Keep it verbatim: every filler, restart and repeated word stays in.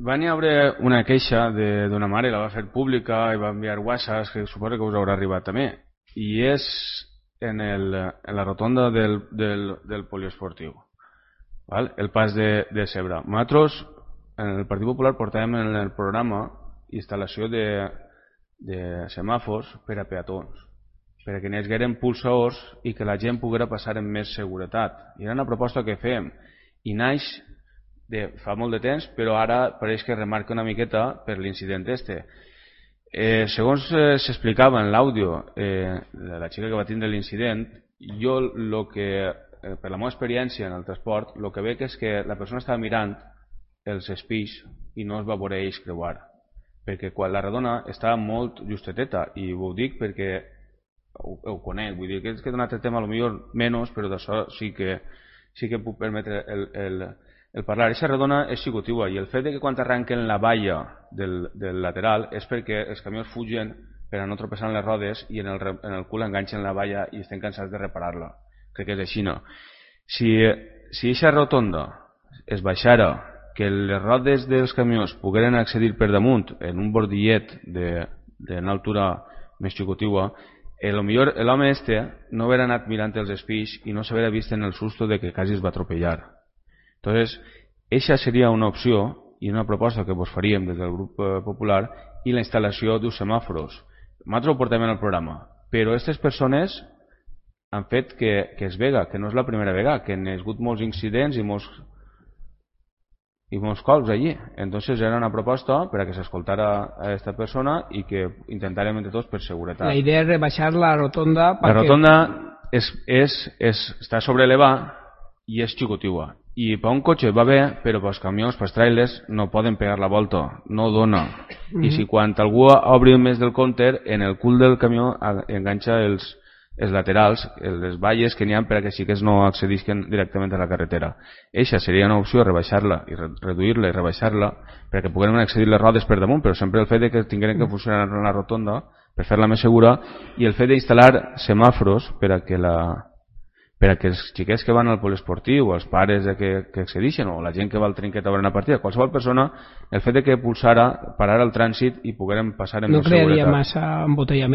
Va n'hi haver una queixa d'una mare, la va fer pública i va enviar whatsapps, que suposo que us haurà arribat també, i és en, el, en la rotonda del, del, del poliesportiu, val? El pas de, de Cebre. Nosaltres en el Partit Popular portàvem en el programa instal·lació de, de semàfors per a peatons, perquè n'hi hagueren pulsadors i que la gent poguera passar amb més seguretat. I era una proposta que fèiem i naix de fa molt de temps, però ara pareix que remarca una miqueta per l'incident este. Eh, segons eh, s'explicava en l'àudio eh, de la xica que va tindre l'incident, jo lo que, eh, per la meva experiència en el transport, el que veig és que la persona estava mirant els espills i no es va veure ells creuar, perquè quan la redona estava molt justeteta, i ho dic perquè ho, ho conec, vull dir que és que d'un altre tema a lo millor menys, però d'això sí que sí que puc permetre el, el El parlar, aquesta redona és xicotiua i el fet de que quan arranquen la valla del, del lateral és perquè els camions fugen per a no tropeçar en les rodes i en el, en el cul enganxen la valla i estem cansats de reparar-la. Crec que és així, no? Si si aquesta rotonda es baixara, que les rodes dels camions pogueren accedir per damunt en un bordillet d'una altura més xicotiua, a lo millor l'home este no hauria anat mirant els espills i no s'hauria vist en el susto de que quasi es va atropellar. Entonces, esa sería una opció i una proposta que vos faríem des del grup popular, i la instal·lació d'uns semàforos. Nosaltres ho portem en el programa, però aquestes persones han fet que, que es vega, que no és la primera vegada, que han hagut molts incidents i molts i molts colps allí. Entonces era una proposta per a que s'escoltara a aquesta persona i que intentàrem entre tots per seguretat. La idea és rebaixar la rotonda. La rotonda és, és, és, està sobreelevada i és xicotiua. I per un cotxe va bé, però pels camions, pels trailers, no poden pegar la volta, no dona. Mm-hmm. I si quan algú obri més del counter, en el cul del camió enganxa els, els laterals, les valles que n'hi ha per a que sí que no accedisquen directament a la carretera. Eixa seria una opció, rebaixar-la i reduir-la i rebaixar-la perquè puguem accedir les rodes per damunt, però sempre el fet de que tinguem que funcionar en la rotonda per fer-la més segura, i el fet d'instal·lar semàforos per a que la per a que els xiquets que van al poliesportiu, els pares que, que accedixen, o la gent que va al trinquet a veure una partida, qualsevol persona, el fet de que pulsara, parar el trànsit i poguérem passar en no seguretat. No crearia massa embotellament.